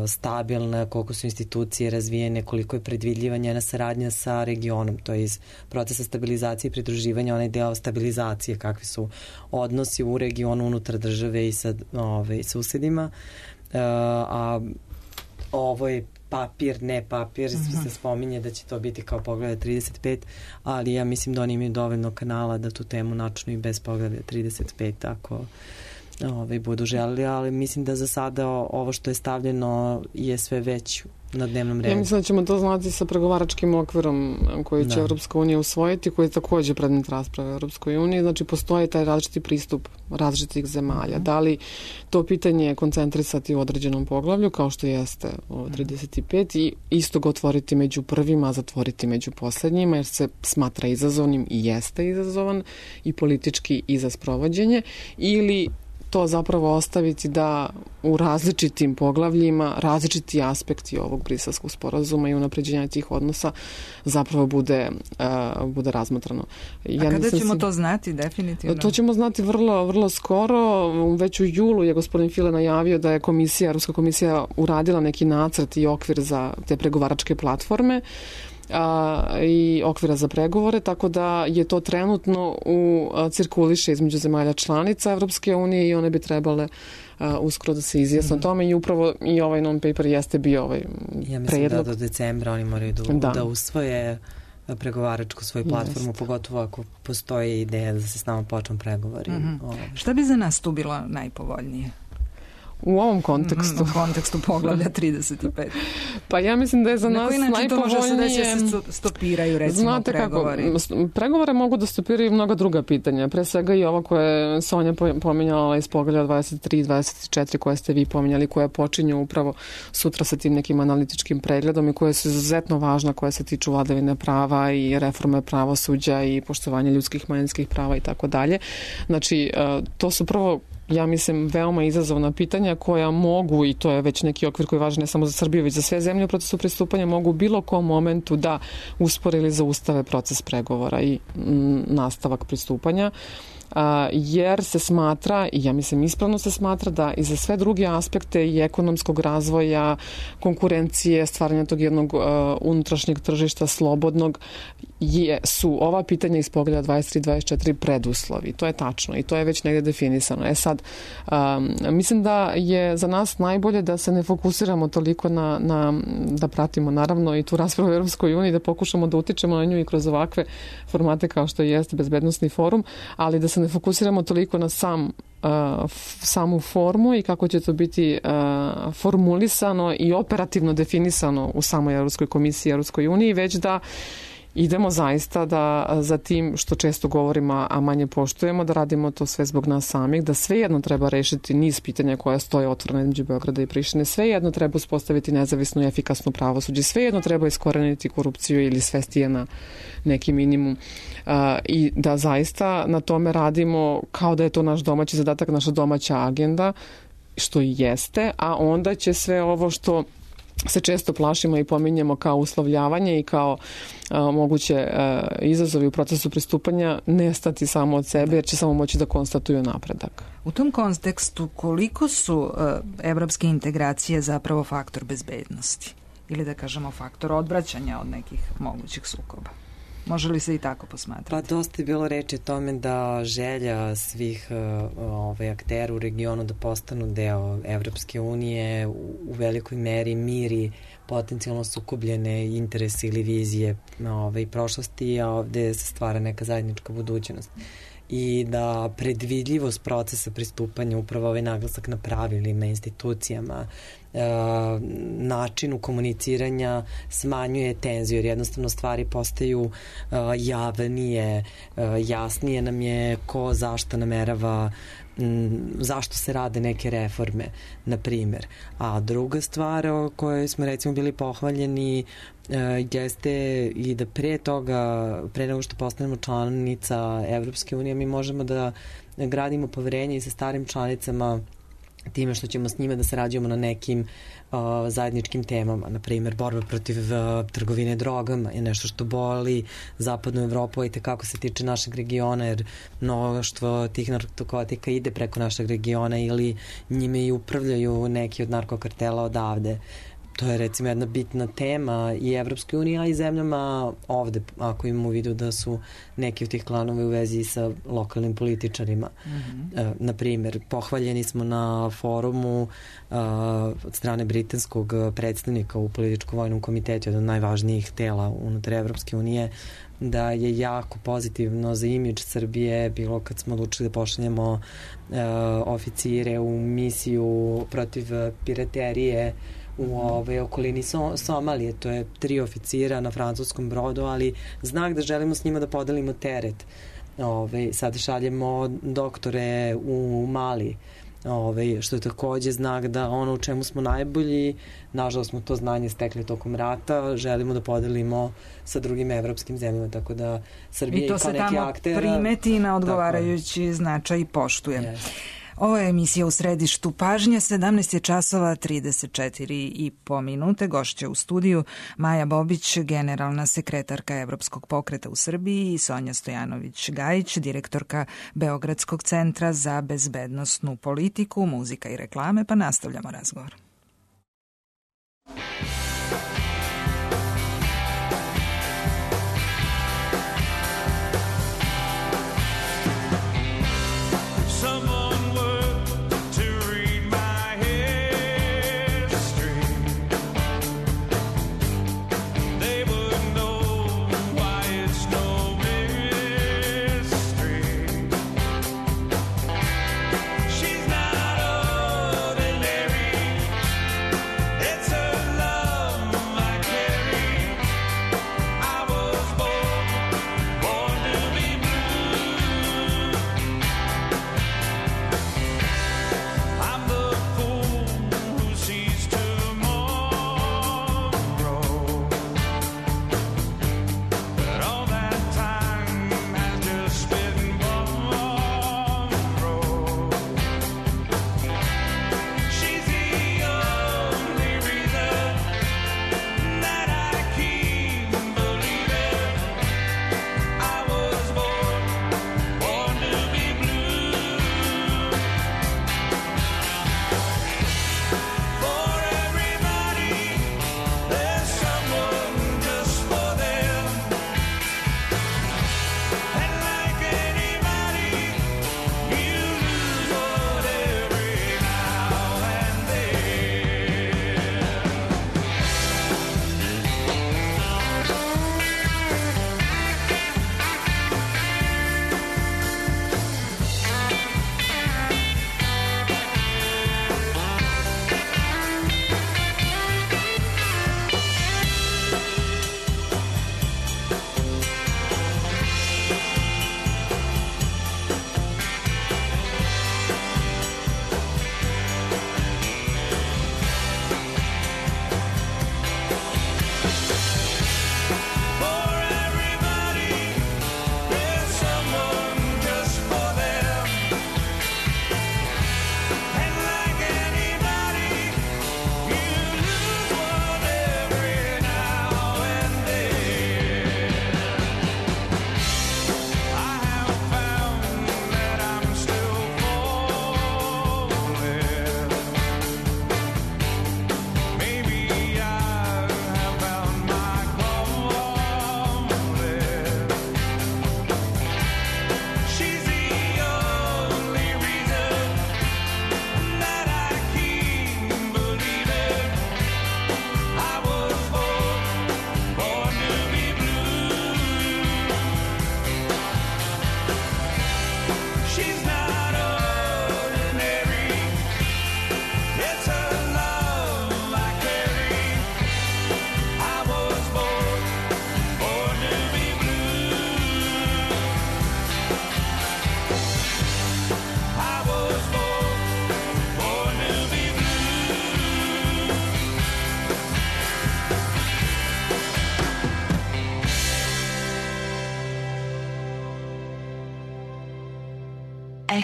E: stabilna, koliko su institucije razvijene, koliko je predvidljiva njena saradnja sa regionom, to je iz procesa stabilizacije i pridruživanja onaj deo stabilizacije, kakvi su odnosi u regionu unutar države i sa ove, susedima. Uh, a ovo je papir, ne papir, uh-huh. se spominje da će to biti kao poglavlje trideset pet, ali ja mislim da oni imaju dovoljno kanala da tu temu načnu i bez poglavlja trideset pet ako ovaj, budu želeli, ali mislim da za sada ovo što je stavljeno je sve već na dnevnom redu.
D: Ja mislim da ćemo to znati sa pregovaračkim okvirom koji će da. Evropska unija usvojiti, koji je takođe predmet rasprave u Evropskoj uniji. Znači, postoji taj različiti pristup različitih zemalja. Mm. Da li to pitanje koncentrisati u određenom poglavlju, kao što jeste o trideset pet, i isto ga otvoriti među prvima, a zatvoriti među poslednjima, jer se smatra izazovnim i jeste izazovan i politički i za sprovođenje, ili to zapravo ostaviti da u različitim poglavljima različiti aspekti ovog Briselskog sporazuma i unapređenja tih odnosa zapravo bude, uh, bude razmatrano.
C: Ja A kada ćemo si... to znati definitivno?
D: To ćemo znati vrlo, vrlo skoro. Već u julu je gospodin File najavio da je komisija, Ruska komisija uradila neki nacrt i okvir za te pregovaračke platforme a, i okvira za pregovore, tako da je to trenutno u a, cirkuliše između zemalja članica Evropske unije i one bi trebale a, uskoro da se izjasne mm. o tome i upravo i ovaj non-paper jeste bio ovaj predlog.
E: Ja mislim predlog. da do decembra oni moraju da, da. da usvoje pregovaračku svoju platformu, Jest. pogotovo ako postoji ideja da se s nama počnu pregovori. Mm-hmm.
C: Šta bi za nas tu bilo najpovoljnije?
D: U ovom kontekstu.
C: U kontekstu poglavlja trideset pet.
D: Pa ja mislim da je za nas najpovoljnije... Na koji način to može se desiti da se stopiraju, recimo, Znate pregovori? Kako, pregovore mogu da stopiraju mnoga druga pitanja. Pre svega i ovo koje je Sonja pominjala iz poglavlja dvadeset tri i dvadeset četiri koje ste vi pominjali, koje počinju upravo sutra sa tim nekim analitičkim pregledom i koje su izuzetno važna, koje se tiču vladavine prava i reforme pravosuđa i poštovanja ljudskih manjinskih prava i tako dalje. Znači, to su prvo ja mislim, veoma izazovna pitanja koja mogu, i to je već neki okvir koji je važan ne samo za Srbiju, već za sve zemlje u procesu pristupanja, mogu u bilo kom momentu da uspore ili zaustave proces pregovora i m, nastavak pristupanja. A, jer se smatra, i ja mislim ispravno se smatra, da i za sve druge aspekte i ekonomskog razvoja, konkurencije, stvaranja tog jednog uh, unutrašnjeg tržišta slobodnog, je, su ova pitanja iz poglavlja dvadeset tri i dvadeset četiri preduslovi. To je tačno i to je već negde definisano. E sad, um, mislim da je za nas najbolje da se ne fokusiramo toliko na, na da pratimo naravno i tu raspravu u Europskoj uniji, da pokušamo da utičemo na nju i kroz ovakve formate kao što jeste bezbednosni forum, ali da se ne fokusiramo toliko na sam Uh, samu formu i kako će to biti uh, formulisano i operativno definisano u samoj Europskoj komisiji i Europskoj uniji, već da idemo zaista da za tim što često govorimo, a manje poštujemo, da radimo to sve zbog nas samih, da svejedno treba rešiti niz pitanja koja stoje otvorene između Beograda i Prištine, svejedno treba uspostaviti nezavisnu i efikasnu pravosuđe, svejedno treba iskoreniti korupciju ili svesti je na neki minimum uh, i da zaista na tome radimo kao da je to naš domaći zadatak, naša domaća agenda, što i jeste, a onda će sve ovo što se često plašimo i pominjemo kao uslovljavanje i kao a, moguće a, izazovi u procesu pristupanja nestati samo od sebe, jer će samo moći da konstatuju napredak.
C: U tom kontekstu koliko su a, evropske integracije zapravo faktor bezbednosti ili da kažemo faktor odvraćanja od nekih mogućih sukoba? Može li se i tako posmatrati?
E: Pa dosta je bilo reči o tome da želja svih uh, ove, aktera u regionu da postanu deo Evropske unije u velikoj meri miri potencijalno sukobljene interese ili vizije ove, prošlosti, a ovde se stvara neka zajednička budućnost. I da predvidljivost procesa pristupanja, upravo ovaj naglasak na pravilima, institucijama, e, načinu komuniciranja smanjuje tenziju, jer jednostavno stvari postaju e, javnije, e, jasnije nam je ko zašto namerava, m, zašto se rade neke reforme, na primjer. A druga stvar o kojoj smo recimo bili pohvaljeni jeste i da pre toga, pre nego što postanemo članica Evropske unije, mi možemo da gradimo poverenje i sa starim članicama time što ćemo s njima da sarađujemo na nekim uh, zajedničkim temama. Na primjer, borba protiv uh, trgovine drogama je nešto što boli zapadnu Evropu i tekako se tiče našeg regiona, jer mnoštvo tih narkotika ide preko našeg regiona ili njime i upravljaju neki od narkokartela odavde. To je recimo jedna bitna tema i Evropskoj uniji, a i zemljama ovde, ako imamo u vidu da su neki od tih klanova u vezi sa lokalnim političarima. Mm-hmm. E, na primjer, pohvaljeni smo na forumu a, od strane britanskog predstavnika u političko-vojnom komitetu, jedan od najvažnijih tela unutar Evropske unije, da je jako pozitivno za imidž Srbije bilo kad smo odlučili da pošaljemo e, oficire u misiju protiv piraterije u ove okolini so, Somalije. To je tri oficira na francuskom brodu, ali znak da želimo s njima da podelimo teret. Ove, sad šaljemo doktore u Mali, ove, što je takođe znak da ono u čemu smo najbolji, nažalost smo to znanje stekli tokom rata, želimo da podelimo sa drugim evropskim zemljama, tako da Srbija i kao neki akter...
C: I to se tamo primeti na odgovarajući značaj i poštuje. Yes. Ovo je emisija U središtu pažnje, sedamnaest je časova trideset četiri i po minute. Gošća u studiju Maja Bobić, generalna sekretarka Evropskog pokreta u Srbiji, i Sonja Stojanović-Gajić, direktorka Beogradskog centra za bezbednosnu politiku, muzika i reklame, pa nastavljamo razgovor.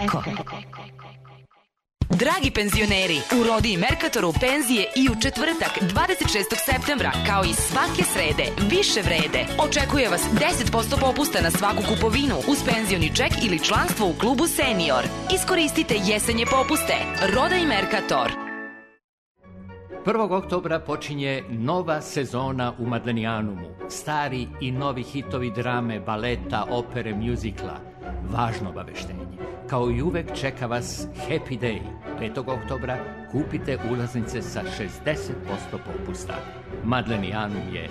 B: Eko. Dragi penzioneri, u Rodi i Merkatoru penzije i u četvrtak dvadeset šestog septembra, kao i svake srede, više vrede. Očekuje vas deset posto popusta na svaku kupovinu uz penzioni ček ili članstvo u klubu Senior. Iskoristite jesenje popuste. Roda i Merkator.
F: prvog oktobra počinje nova sezona u Madlenijanumu. Stari i novi hitovi drame, baleta, opere, mjuzikla. Važno obaveštenje. Kao i uvek čeka vas Happy Day. petog oktobra kupite ulaznice sa šezdeset posto popusta. Madlenijanum je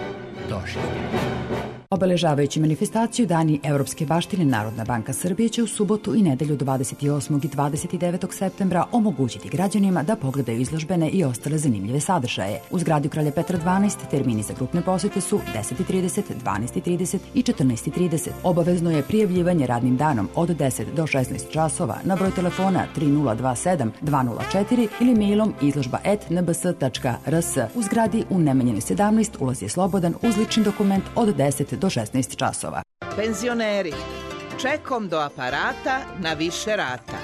F: doživljen.
G: Obeležavajući manifestaciju Dani Evropske baštine, Narodna banka Srbije će u subotu i nedelju dvadeset osmog i dvadeset devetog septembra omogućiti građanima da pogledaju izložbene i ostale zanimljive sadržaje. U zgradi Kralja Petra dvanaest termini za grupne posete su deset i trideset, dvanaest i trideset i četrnaest i trideset. Obavezno je prijavljivanje radnim danom od deset do šesnaest časova na broj telefona tri nula dva sedam dva nula četiri ili mailom izložba et en b s tačka r s. U zgradi u Nemanjinoj sedamnaest ulaz je slobodan uz lični dokument od deset do šesnaest časova.
H: Penzioneri, čekom do aparata na više rata.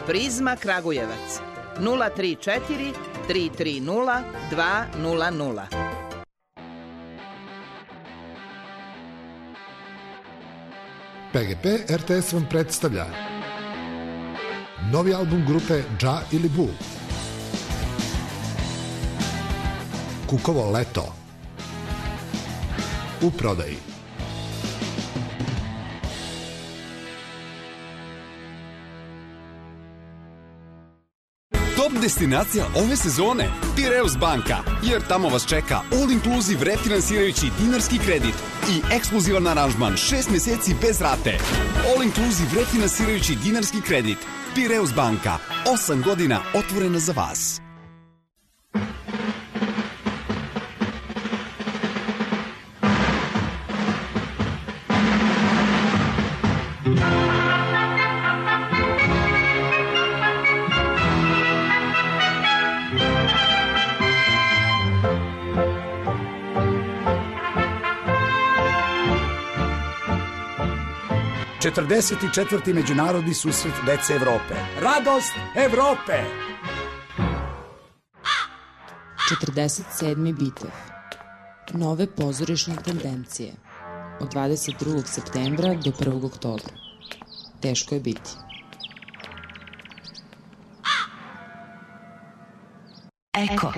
H: Prizma Kragujevac nula tri četiri tri tri nula dva nula nula.
I: P G P R T S vam predstavlja novi album grupe Dža ili Bu, Kukovo leto, u prodaji.
J: Top destinacija ove sezone Piraeus banka, jer tamo vas čeka all inclusive refinansirajući dinarski kredit i ekskluzivan aranžman šest meseci bez rate. All inclusive refinansirajući dinarski kredit. Piraeus banka, osam godina otvorena za vas.
K: četrdeset četvrti Međunarodni susret dece Evrope. Radost Evrope!
L: četrdeset sedmi Bitev. Nove pozorišne tendencije. Od dvadeset drugog septembra do prvog oktobra. Teško je biti.
B: Eko.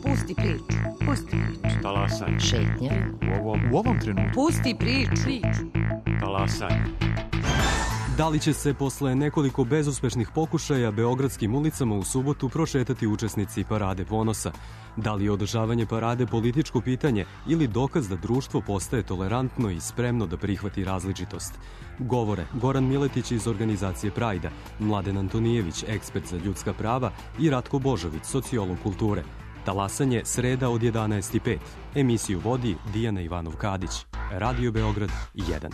M: Pusti priču, pusti priču.
N: Talasaj.
A: Šetnja.
N: U ovom, u ovom trenutku.
M: Pusti priču.
N: Talasaj.
O: Da li će se posle nekoliko bezuspešnih pokušaja beogradskim ulicama u subotu prošetati učesnici Parade ponosa? Da li je održavanje parade političko pitanje ili dokaz da društvo postaje tolerantno i spremno da prihvati različitost? Govore Goran Miletić iz organizacije Prajda, Mladen Antonijević, ekspert za ljudska prava i Ratko Božović, sociolog kulture. Talasanje sreda od jedanaest i pet. Emisiju vodi Dijana Ivanov-Kadić. Radio Beograd jedan.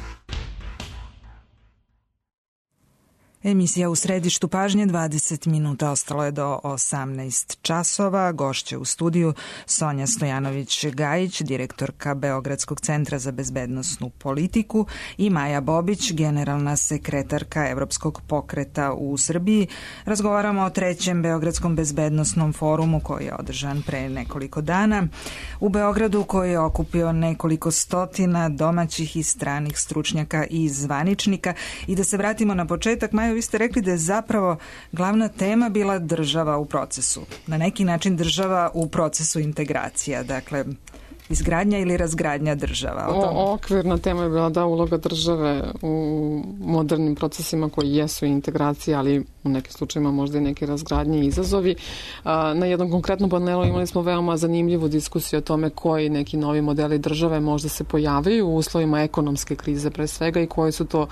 C: Emisija u središtu pažnje, dvadeset minuta, ostalo je do osamnaest časova. Gošće u studiju Sonja Stojanović-Gajić, direktorka Beogradskog centra za bezbednosnu politiku, i Maja Bobić, generalna sekretarka Evropskog pokreta u Srbiji. Razgovaramo o trećem Beogradskom bezbednosnom forumu koji je održan pre nekoliko dana u Beogradu, koji je okupio nekoliko stotina domaćih i stranih stručnjaka i zvaničnika. I da se vratimo na početak, Maja, vi ste rekli da je zapravo glavna tema bila država u procesu. Na neki način država u procesu integracija. Dakle, izgradnja ili razgradnja država.
D: O, o, okvirna tema je bila da uloga države u modernim procesima koji jesu integracija, ali u nekim slučajima možda i neke razgradnje i izazovi. Na jednom konkretnom panelu imali smo veoma zanimljivu diskusiju o tome koji neki novi modeli države možda se pojavaju u uslovima ekonomske krize pre svega i koji su to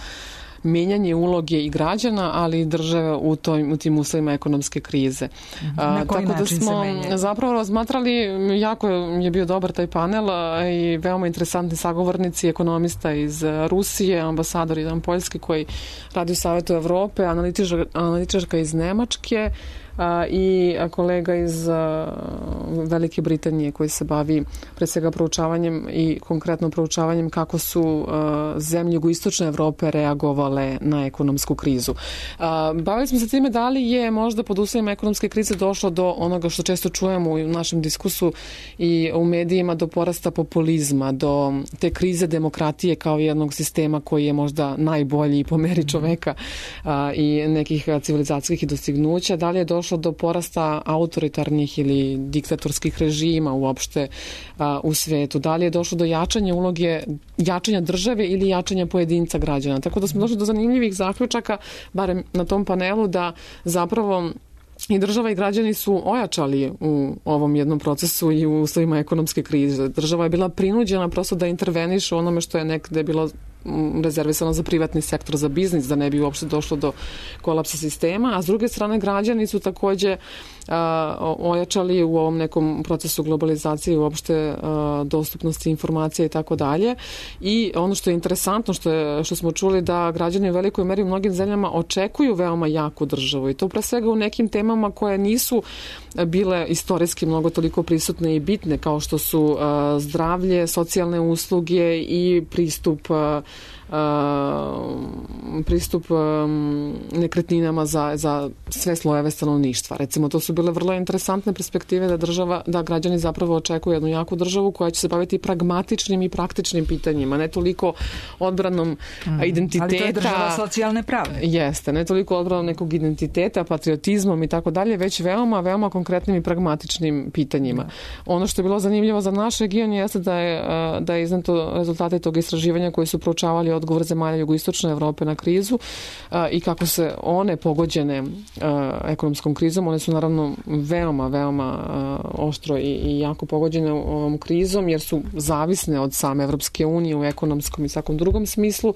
D: menjanje uloge i građana, ali i države u, toj, u tim uslovima ekonomske krize.
C: Na koji
D: Tako da smo zapravo razmatrali, jako je bio dobar taj panel i veoma interesantni sagovornici, ekonomista iz Rusije, ambasador jedan Poljski koji radi u Savetu Evrope, analitičar, analitičarka iz Nemačke, a, i kolega iz a, Velike Britanije koji se bavi pre svega proučavanjem i konkretno proučavanjem kako su a, zemlje jugoistočne Evrope reagovale na ekonomsku krizu. A, bavili smo se time da li je možda pod uslovima ekonomske krize došlo do onoga što često čujemo u našem diskusu i u medijima, do porasta populizma, do te krize demokratije kao jednog sistema koji je možda najbolji po meri čoveka a, i nekih civilizacijskih dostignuća. Da li je došlo do porasta autoritarnih ili diktatorskih režima uopšte a, u svetu? Da li je došlo do jačanja uloge, jačanja države ili jačanja pojedinca građana? Tako da smo došli do zanimljivih zaključaka, barem na tom panelu, da zapravo i država i građani su ojačali u ovom jednom procesu i u uslovima ekonomske krize. Država je bila prinuđena prosto da interveniše u onome što je nekde bilo rezervisano za privatni sektor, za biznis, da ne bi uopšte došlo do kolapsa sistema, a s druge strane građani su takođe a, ojačali u ovom nekom procesu globalizacije uopšte a, dostupnosti informacija i tako dalje. I ono što je interesantno, što, je, što smo čuli, da građani u velikoj meri u mnogim zemljama očekuju veoma jaku državu i to pre svega u nekim temama koje nisu bile istorijski mnogo toliko prisutne i bitne, kao što su a, zdravlje, socijalne usluge i pristup a, pristup nekretninama za, za sve slojeve stanovništva. Recimo, to su bile vrlo interesantne perspektive da država, da građani zapravo očekuju jednu jaku državu koja će se baviti pragmatičnim i praktičnim pitanjima, ne toliko odbranom mm. identiteta.
C: Ali to je država socijalne pravde.
D: Jeste, ne toliko odbranom nekog identiteta, patriotizmom i tako dalje, već veoma, veoma konkretnim i pragmatičnim pitanjima. Mm. Ono što je bilo zanimljivo za naš region jeste da je, da je izneto rezultate tog istraživanja koji su proučavali odgovor zemalja jugoistočne Evrope na krizu a, i kako se one pogođene a, ekonomskom krizom. One su naravno veoma, veoma a, oštro i, i jako pogođene ovom krizom jer su zavisne od same Evropske unije u ekonomskom i svakom drugom smislu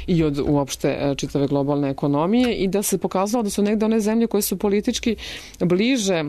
D: i od uopšte a, čitave globalne ekonomije i da se pokazalo da su negde one zemlje koje su politički bliže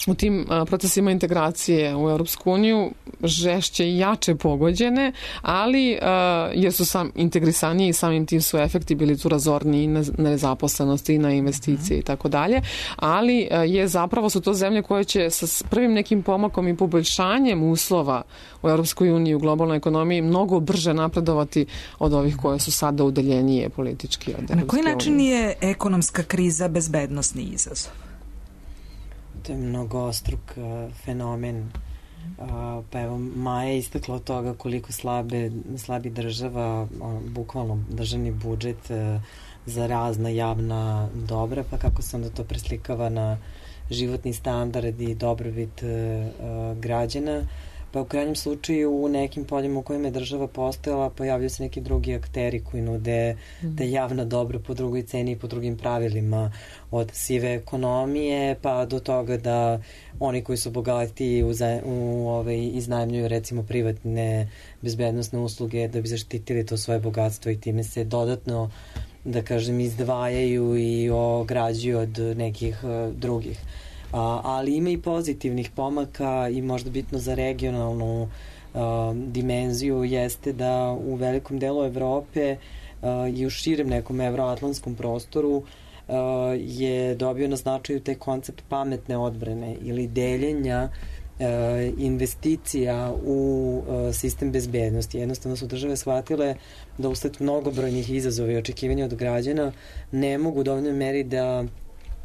D: u tim a, procesima integracije u Europsku uniju žešće i jače pogođene, ali a, jer su sam integrisaniji i samim tim su efekti bili tu razorni i na, na nezaposlenosti i na investicije mm. i tako dalje, ali a, je zapravo su to zemlje koje će sa prvim nekim pomakom i poboljšanjem uslova u Europskoj uniji u globalnoj ekonomiji mnogo brže napredovati od ovih koje su sada udaljenije politički od Europske unije.
C: Na koji način je ekonomska kriza bezbednosni izazov?
E: To je mnogostruk uh, fenomen. Uh, pa evo, Maja je istakla od toga koliko slabe, slabi država, uh, bukvalno državni budžet uh, za razna javna dobra, pa kako se onda to preslikava na životni standard i dobrobit uh, uh, građana. Pa u krajnjem slučaju u nekim poljima u kojima je država postojala pojavljaju se neki drugi akteri koji nude mm. da javna dobra po drugoj ceni i po drugim pravilima, od sive ekonomije pa do toga da oni koji su bogati u, u, ovaj, iznajmljuju recimo privatne bezbednosne usluge da bi zaštitili to svoje bogatstvo i time se dodatno, da kažem, izdvajaju i ograđuju od nekih uh, drugih. A, ali ima i pozitivnih pomaka i možda bitno za regionalnu a, dimenziju jeste da u velikom delu Evrope a, i u širem nekom evroatlantskom prostoru a, je dobio na značaju taj koncept pametne odbrane ili deljenja a, investicija u a, sistem bezbednosti. Jednostavno su države shvatile da usled mnogobrojnih izazova i očekivanja od građana ne mogu u dovoljnoj meri da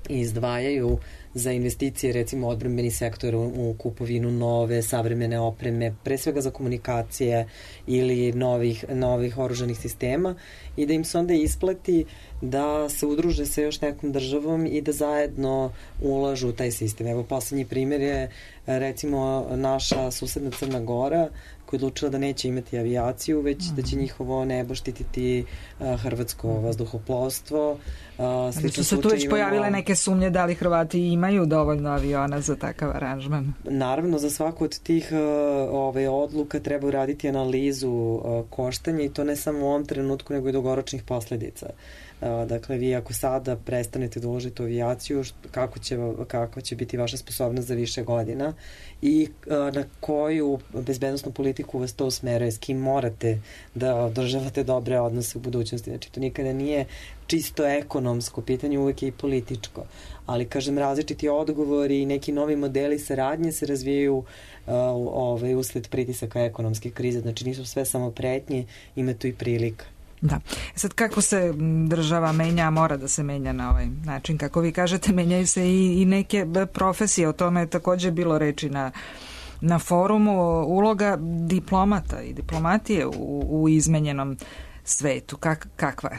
E: izdvajaju za investicije, recimo odbrambeni sektor u kupovinu nove, savremene opreme, pre svega za komunikacije ili novih, novih oružanih sistema i da im se onda isplati da se udruže sa još nekom državom i da zajedno ulažu u taj sistem. Evo, poslednji primjer je recimo naša susedna Crna Gora koja je odlučila da neće imati avijaciju, već mm. da će njihovo nebo štititi uh, hrvatsko vazduhoplovstvo. Uh,
C: Ali su se tu već imamo... pojavile neke sumnje da li Hrvati imaju dovoljno aviona za takav aranžman?
E: Naravno, za svaku od tih uh, ove, odluka treba uraditi analizu uh, koštanja i to ne samo u ovom trenutku, nego i dugoročnih posledica. Uh, dakle, vi ako sada prestanete da uložite u avijaciju, kako će, kako će biti vaša sposobnost za više godina i uh, na koju bezbednosnu politiku vas to usmeruje, s kim morate da održavate dobre odnose u budućnosti. Znači, to nikada nije čisto ekonomsko pitanje, uvek je i političko. Ali, kažem, različiti odgovori i neki novi modeli saradnje se razvijaju uh, ovaj, usled pritisaka ekonomske krize. Znači, nisu sve samo pretnje, ima tu i prilika.
C: Da. Sad, kako se država menja, mora da se menja na ovaj način, kako vi kažete, menjaju se i, i neke profesije, o tome je takođe bilo reči na, na forumu, uloga diplomata i diplomatije u, u izmenjenom svetu, Kak, kakva je?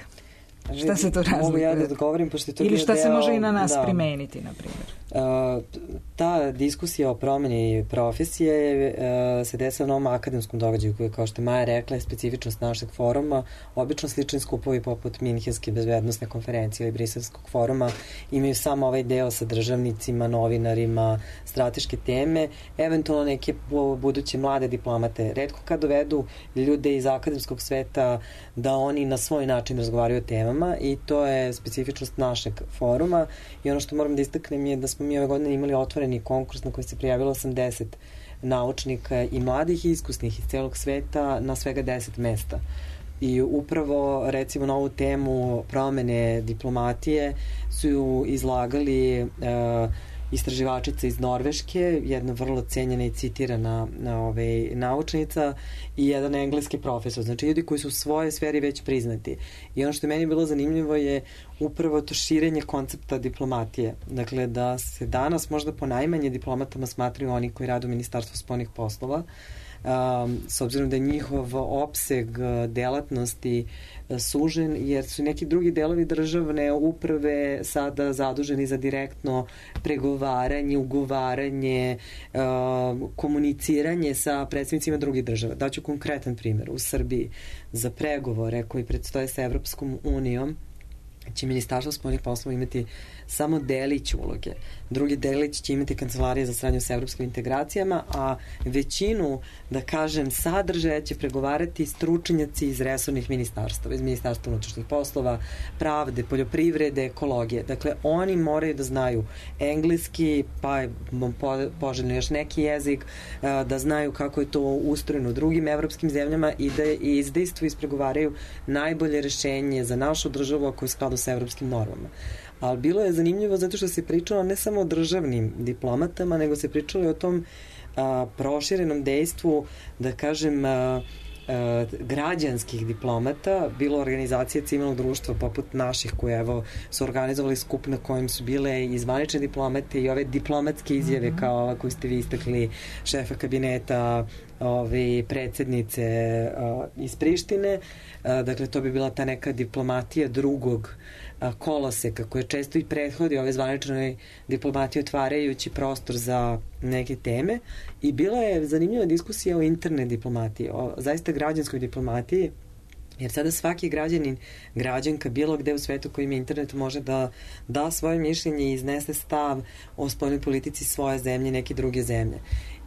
C: Šta se to razlikuje?
E: Mogu ja da odgovorim, pošto je to
C: ili šta
E: deo,
C: se može i na nas
E: da,
C: primeniti, na primjer?
E: Uh, ta diskusija o promjeni profesije uh, se desila na ovom akademskom događaju koji, kao što je Maja rekla, je specifičnost našeg foruma. Obično slični skupovi poput Minhenske bezbednosne konferencije ili Briselskog foruma imaju samo ovaj deo sa državnicima, novinarima, strateške teme, eventualno neke buduće mlade diplomate. Retko kad dovedu ljude iz akademskog sveta da oni na svoj način razgovaraju o temama i to je specifičnost našeg foruma i ono što moram da istaknem je da smo mi ove godine imali otvoreni konkurs na koji se prijavilo osamdeset naučnika i mladih i iskusnih iz celog sveta na svega deset mesta. I upravo, recimo, na ovu temu promene diplomatije su izlagali uh, istraživačica iz Norveške, jedna vrlo cenjena i citirana na ovaj, naučnica i jedan engleski profesor. Znači, ljudi koji su u svojoj sferi već priznati. I ono što je meni bilo zanimljivo je upravo to širenje koncepta diplomatije. Dakle, da se danas možda po najmanje diplomatama smatraju oni koji rade u Ministarstvu spoljnih poslova, Um, s obzirom da je njihov opseg delatnosti sužen, jer su neki drugi delovi državne uprave sada zaduženi za direktno pregovaranje, ugovaranje, um, komuniciranje sa predstavnicima drugih država. Daću konkretan primjer. U Srbiji za pregovore koji predstoje sa Evropskom unijom će Ministarstvo spoljnih poslova imati samo delić uloge. Drugi delić će imati Kancelarija za saradnju sa evropskim integracijama, a većinu, da kažem, sadržaja će pregovarati stručnjaci iz resornih ministarstava, iz Ministarstva unutrašnjih poslova, pravde, poljoprivrede, ekologije. Dakle, oni moraju da znaju engleski, pa je poželjno još neki jezik, da znaju kako je to ustrojeno u drugim evropskim zemljama i da izdejstvu ispregovaraju najbolje rešenje za našu državu ako je skladu sa evropskim normama. Ali bilo je zanimljivo zato što se pričalo ne samo o državnim diplomatama, nego se pričalo i o tom a, proširenom dejstvu, da kažem, a, a, građanskih diplomata, bilo organizacije civilnog društva poput naših koje evo su organizovali skup na kojem su bile i zvanične diplomate i ove diplomatske izjave mm-hmm. kao ova koju ste vi istakli, šefa kabineta, ove predsjednice a, iz Prištine. A, dakle, to bi bila ta neka diplomatija drugog koloseka koje često i prethodi ove zvaničnoj diplomatiji otvarajući prostor za neke teme i bila je zanimljiva diskusija o internet diplomatiji, o zaista građanskoj diplomatiji, jer sada svaki građanin, građanka bilo gde u svetu koji ima internet može da da svoje mišljenje i iznese stav o spoljnoj politici svoje zemlje i neke druge zemlje.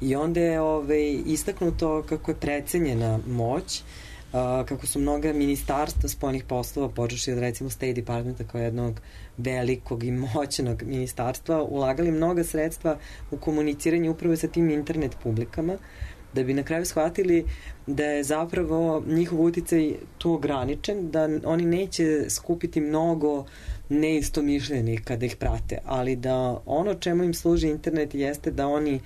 E: I onda je ove, istaknuto kako je precenjena moć, Uh, kako su mnoga ministarstva spoljnih poslova, počeši od recimo State Departmenta kao jednog velikog i moćnog ministarstva, ulagali mnoga sredstva u komuniciranje upravo sa tim internet publikama, da bi na kraju shvatili da je zapravo njihov uticaj tu ograničen, da oni neće skupiti mnogo neistomišljenih kada ih prate, ali da ono čemu im služi internet jeste da oni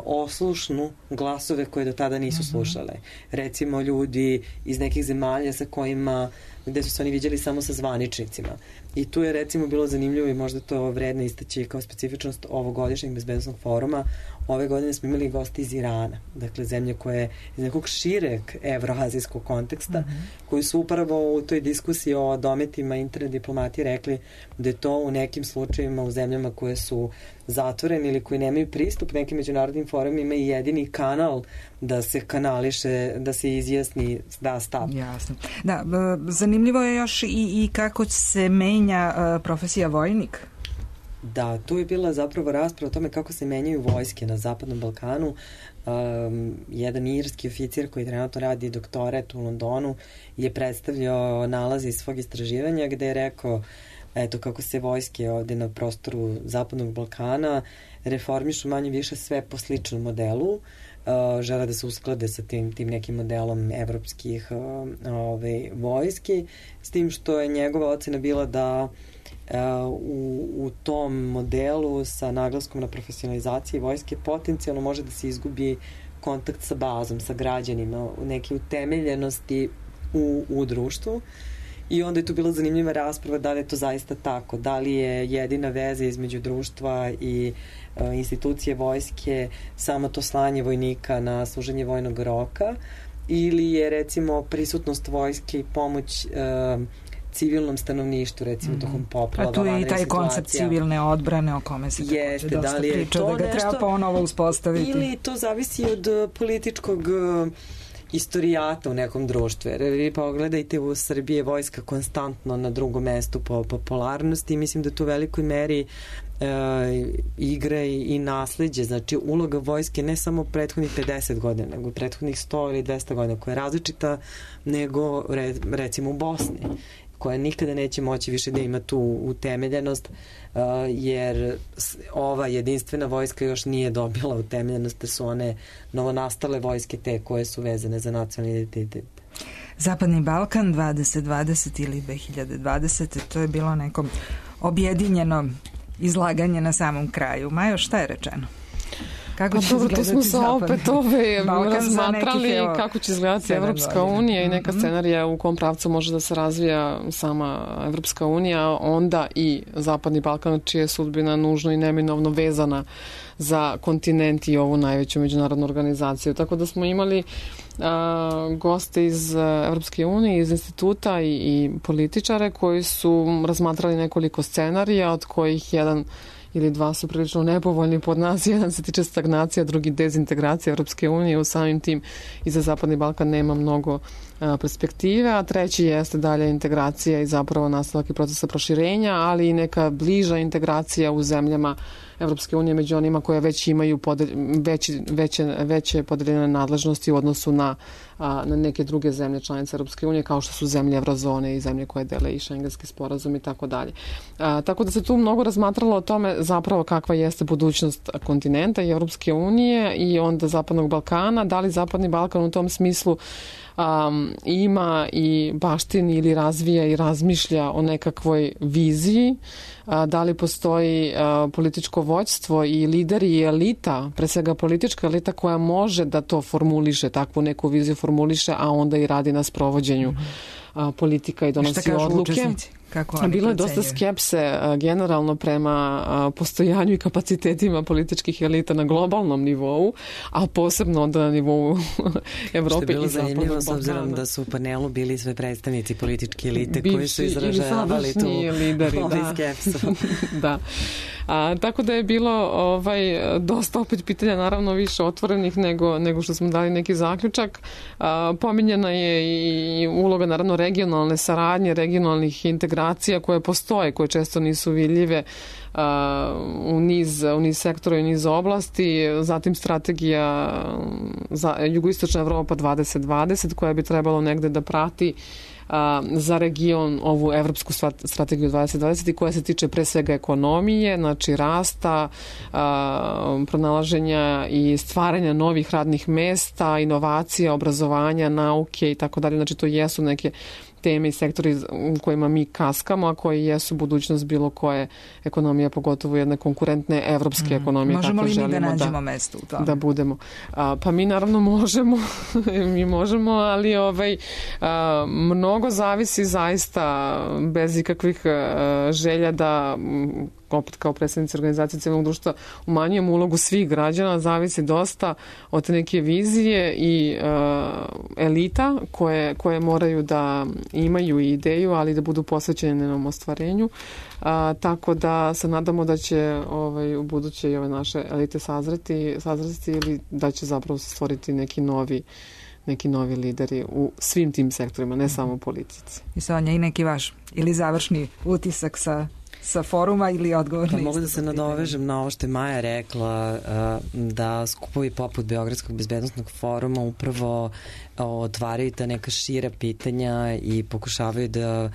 E: oslušnu glasove koje do tada nisu slušale. Recimo ljudi iz nekih zemalja sa kojima, gde su se oni viđali samo sa zvaničnicima. I tu je recimo bilo zanimljivo i možda to vredno istaći kao specifičnost ovogodišnjeg bezbednosnog foruma. Ove godine smo imali gosti iz Irana, dakle zemlje koje iz nekog šireg evroazijskog konteksta, mm-hmm. koji su upravo u toj diskusiji o dometima internet diplomatije rekli da je to u nekim slučajevima u zemljama koje su zatvorene ili koji nemaju pristup nekim međunarodnim forumima i jedini kanal da se kanališe, da se izjasni da stav.
C: Jasno. Da, zanimljivo je još i, i kako se menja uh, profesija vojnik.
E: Da, tu je bila zapravo rasprava o tome kako se menjaju vojske na Zapadnom Balkanu. Um, jedan irski oficir koji trenutno radi doktorat u Londonu je predstavljao nalaze iz svog istraživanja gde je rekao eto kako se vojske ovde na prostoru Zapadnog Balkana reformišu manje više sve po sličnom modelu. Uh, žele da se usklade sa tim, tim nekim modelom evropskih uh, ove, vojski, s tim što je njegova ocena bila da Uh, u, u tom modelu sa naglaskom na profesionalizaciji vojske potencijalno može da se izgubi kontakt sa bazom, sa građanima, neke utemeljenosti u, u društvu. I onda je tu bila zanimljiva rasprava da li je to zaista tako, da li je jedina veza između društva i uh, institucije vojske samo to slanje vojnika na služenje vojnog roka ili je recimo prisutnost vojske i pomoć uh, civilnom stanovništvu, recimo mm-hmm. tokom poplava.
C: A tu je i taj koncept civilne odbrane o kome se
E: Jeste,
C: takođe dosta da priča, da ga nešto, treba ponovo uspostaviti.
E: Ili to zavisi od političkog istorijata u nekom društvu. Jer vi pogledajte, u Srbiji je vojska konstantno na drugom mestu po popularnosti i mislim da tu u velikoj meri e, igre i, i nasleđe. Znači, uloga vojske ne samo prethodnih pedeset godina, nego prethodnih sto ili dvesta godina, koja je različita nego re, recimo u Bosni, koja nikada neće moći više da ima tu utemeljenost, uh, jer ova jedinstvena vojska još nije dobila utemeljenost, da su one novonastale vojske te koje su vezane za nacionalni identitet.
C: Zapadni Balkan dvadeset dvadeset ili dve hiljade dvadesete. To je bilo neko objedinjeno izlaganje na samom kraju. Majo, šta je rečeno? Kako
D: pa dobro, to smo se opet ove razmatrali nekih, evo, kako će izgledati Evropska unija i neka scenarija u kom pravcu može da se razvija sama Evropska unija, onda i Zapadni Balkan, čija je sudbina nužno i neminovno vezana za kontinent i ovu najveću međunarodnu organizaciju. Tako da smo imali a, goste iz Evropske unije, iz instituta i, i političare koji su razmatrali nekoliko scenarija, od kojih jedan ili dva su prilično nepovoljni pod nas. Jedan se tiče stagnacija, drugi dezintegracija Evropske unije. U samim tim i za Zapadni Balkan nema mnogo a, perspektive, a treći jeste dalje integracija i zapravo nastavak i procesa proširenja, ali i neka bliža integracija u zemljama Evropske unije među onima koje već imaju podelj, veće, veće, veće podeljene nadležnosti u odnosu na, a, na neke druge zemlje članice Evropske unije, kao što su zemlje Evrozone i zemlje koje dele i šengenski sporazum i tako dalje. Tako da se tu mnogo razmatralo o tome zapravo kakva jeste budućnost kontinenta i Evropske unije i onda Zapadnog Balkana. Da li Zapadni Balkan u tom smislu Um, ima i baštini ili razvija i razmišlja o nekakvoj viziji, a, da li postoji a, političko vođstvo i lideri i elita, pre svega politička elita koja može da to formuliše, takvu neku viziju formuliše, a onda i radi na sprovođenju a, politika i donosi odluke.
C: Učesnici?
D: Bilo je dosta skepse generalno prema postojanju i kapacitetima političkih elita na globalnom nivou, a posebno onda na nivou Evrope i Zapadnog Balkana. Što je bilo zanimljivo s obzirom
E: da su u panelu bili sve predstavnici političke elite bivši koji su izražavali tu
D: lideri,
E: ovaj skepsu.
D: Da. A, tako da je bilo ovaj, dosta opet pitanja, naravno više otvorenih nego, nego što smo dali neki zaključak. A, pominjena je i uloga naravno regionalne saradnje, regionalnih integracija koje postoje, koje često nisu vidljive a, u, niz, u niz sektora i u niz oblasti. Zatim strategija za Jugoistočna Evropa dvadeset dvadeset koja bi trebalo negde da prati za region ovu evropsku strategiju dvadeset dvadeset i koja se tiče pre svega ekonomije, znači rasta, pronalaženja i stvaranja novih radnih mesta, inovacija, obrazovanja, nauke i tako dalje. Znači to jesu neke teme i sektori u kojima mi kaskamo, a koji jesu budućnost bilo koje ekonomije, pogotovo jedne konkurentne evropske mm. ekonomije.
C: Možemo li mi da nađemo da, mesto u tome?
D: Da budemo. A, pa mi naravno možemo, mi možemo, ali ovaj, a, mnogo zavisi zaista bez ikakvih a, želja da opet kao predstavnici organizacije civilnog društva umanjujemo ulogu svih građana, zavisi dosta od neke vizije i uh, elita koje, koje moraju da imaju ideju, ali da budu posvećeni njenom ostvarenju. Uh, tako da se nadamo da će ovaj, u buduće i ove naše elite sazreti, sazreti ili da će zapravo stvoriti neki novi neki novi lideri u svim tim sektorima, ne samo u politici.
C: I Sonja, i neki vaš ili završni utisak sa sa foruma ili odgovor na
E: pa mogu da se nadovežem na ovo što je Maja rekla, da skupovi poput Beogradskog bezbednosnog foruma upravo otvaraju ta neka šira pitanja i pokušavaju da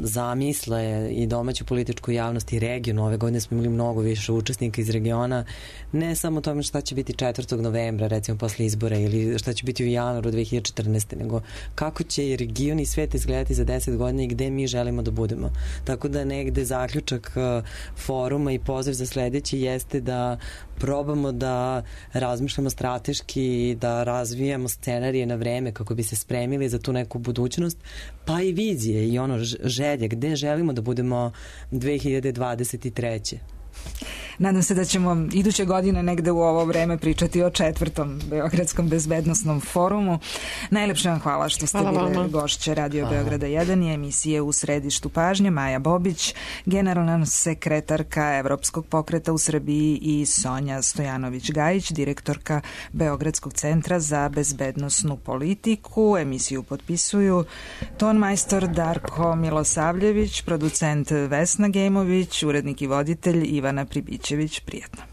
E: zamisle i domaću političku javnost i regionu. Ove godine smo imali mnogo više učesnika iz regiona, ne samo tome šta će biti četvrtog novembra, recimo posle izbora, ili šta će biti u januaru dve hiljade četrnaeste. nego kako će i region i svet izgledati za deset godina i gde mi želimo da budemo. Tako da negde zaključak foruma i poziv za sledeći jeste da probamo da razmišljamo strateški, da razvijamo scenarije na vreme kako bi se spremili za tu neku budućnost, pa i vizije i ono želje, gde želimo da budemo dve hiljade dvadeset treće.
C: Nadam se da ćemo iduće godine negde u ovo vreme pričati o četvrtom Beogradskom bezbednosnom forumu. Najlepše vam hvala što ste hvala bili gošće Radio hvala. Beograda jedan i emisije U središtu pažnje. Maja Bobić, generalna sekretarka Evropskog pokreta u Srbiji, i Sonja Stojanović-Gajić, direktorka Beogradskog centra za bezbednosnu politiku. Emisiju potpisuju tonmajstor Darko Milosavljević, producent Vesna Gejmović, urednik i voditelj Ivana Pribićević. Prijetno.